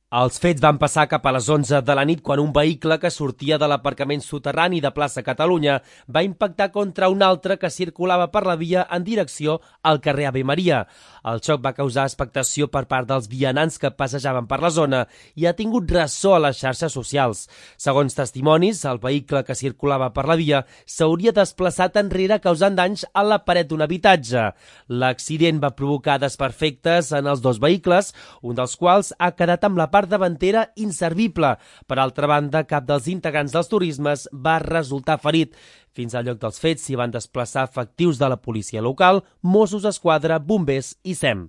Els fets van passar cap a les 11 de la nit quan un vehicle que sortia de l'aparcament soterrani de Plaça Catalunya va impactar contra un altre que circulava per la via en direcció al carrer Ave Maria. El xoc va causar expectació per part dels vianants que passejaven per la zona i ha tingut ressò a les xarxes socials. Segons testimonis, el vehicle que circulava per la via s'hauria desplaçat enrere causant danys a la paret d'un habitatge. L'accident va provocar desperfectes en els dos vehicles, un dels quals ha quedat amb la part davantera inservible. Per altra banda, cap dels integrants dels turismes va resultar ferit. Fins al lloc dels fets s'hi van desplaçar efectius de la policia local, Mossos d'Esquadra, bombers i SEM.